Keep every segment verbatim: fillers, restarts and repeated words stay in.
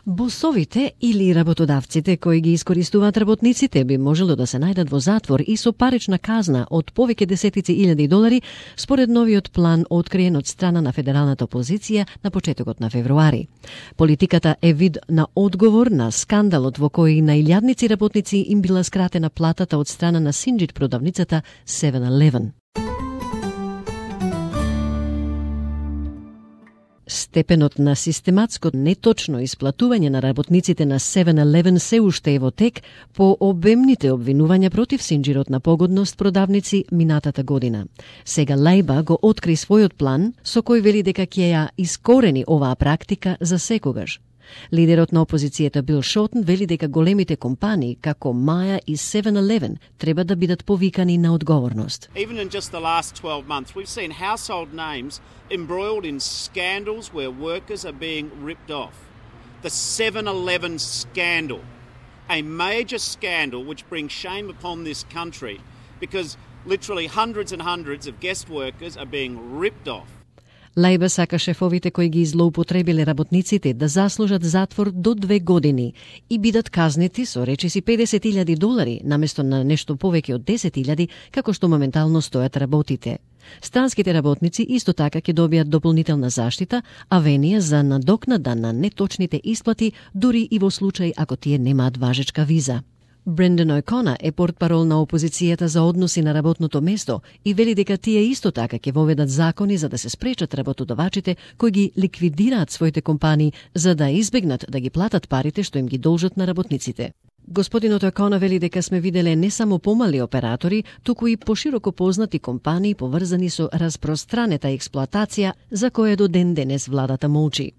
Босовите или работодавците кои ги искористуваат работниците би можело да се најдат во затвор и со парична казна од повеќе десетици илјади долари, според новиот план откриен од страна на федералната опозиција на почетокот на февруари. Политиката е вид на одговор на скандалот во кој на илјадници работници им била скратена платата од страна на синџит продавницата севен елевен. Степенот на систематско неточно исплатување на работниците на севен елевен се уште е во тек по обемните обвинувања против синџирот на погодност продавници минатата година. Сега Лајба го откри својот план со кој вели дека ќе ја искорени оваа практика за секогаш. Лидерот на опозицијата Бил Шортен вели дека големите компании како Маја и севен елевен треба да бидат повикани на одговорност. Even in just the last twelve months, we've seen household names embroiled in scandals where workers are being ripped off. The seven eleven scandal, a major scandal which brings shame upon this country because literally hundreds and hundreds of guest workers are being ripped off. Лајба сака шефовите кои ги злоупотребиле работниците да заслужат затвор до две години и бидат казнети со речиси педесет илјади долари наместо на нешто повеќе од десет илјади како што моментално стојат работите. Странските работници исто така ќе добијат дополнителна заштита, а венија за надокнада на неточните исплати дури и во случај ако тие немаат важечка виза. Брендан О'Конер е портпарол на опозицијата за односи на работното место и вели дека тие исто така ќе воведат закони за да се спречат работодавачите кои ги ликвидираат своите компании за да избегнат да ги платат парите што им ги должат на работниците. Господинот О'Конер вели дека сме виделе не само помали оператори, туку и пошироко познати компании поврзани со распространета експлоатација за која до ден денес владата молчи.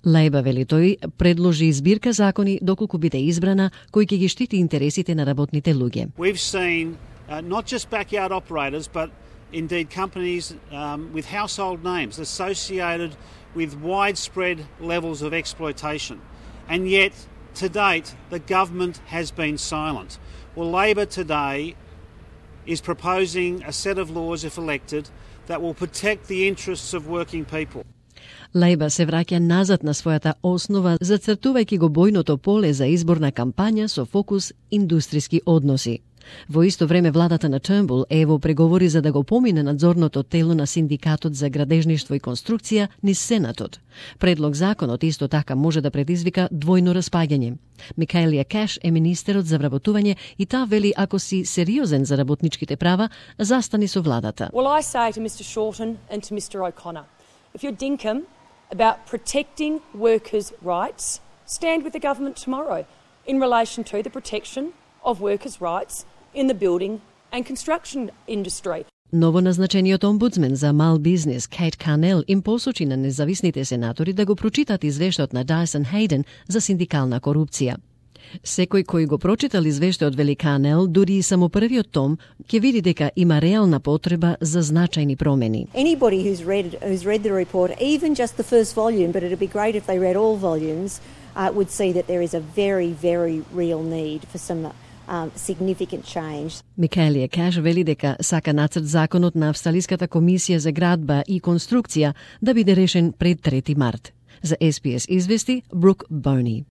Лајба, вели тој, предложи збирка закони доколку биде избрана кој ќе ги штити интересите на работните луѓе. We've seen uh, not just backyard operators but indeed companies um, with household names associated with widespread levels of exploitation. And yet to date the government has been silent. Well, Labor today is proposing a set of laws if elected that will protect the interests of working people. Лајба се враќа назад на својата основа, зацртувајќи го бојното поле за изборна кампања со фокус индустријски односи. Во исто време владата на Тurnbull е во преговори за да го помине надзорното тело на Синдикатот за градежништво и конструкција низ Сенатот. Предлог законот исто така може да предизвика двојно распаѓање. Микаелија Кеш е министерот за вработување и таа вели ако си сериозен за работничките права, застани со владата. Well, I say to Mister Shorten and to Mister O'Connor, if you're dinkum about protecting workers' rights, stand with the government tomorrow in relation to the protection of workers' rights in the building and construction industry. Новоназначениот омбудсмен за мал бизнес Кейт Канел им посочи на независните сенатори да го прочитат извештајот на Дайсон Хейден за синдикална корупција. Секој кој го прочитал извештајот вели Канел, дури и само првиот том, ќе види дека има реална потреба за значајни промени. Anybody who's read who's read the report, even just the first volume, but it'd be great if they read all volumes, uh, would see that there is a very, very real need for some um, significant change. Микаелија Кеш вели дека сака нацрт законот на Австралиската комисија за градба и конструкција да биде решен пред трети март. За Ес Би Ес извести Брук Бони.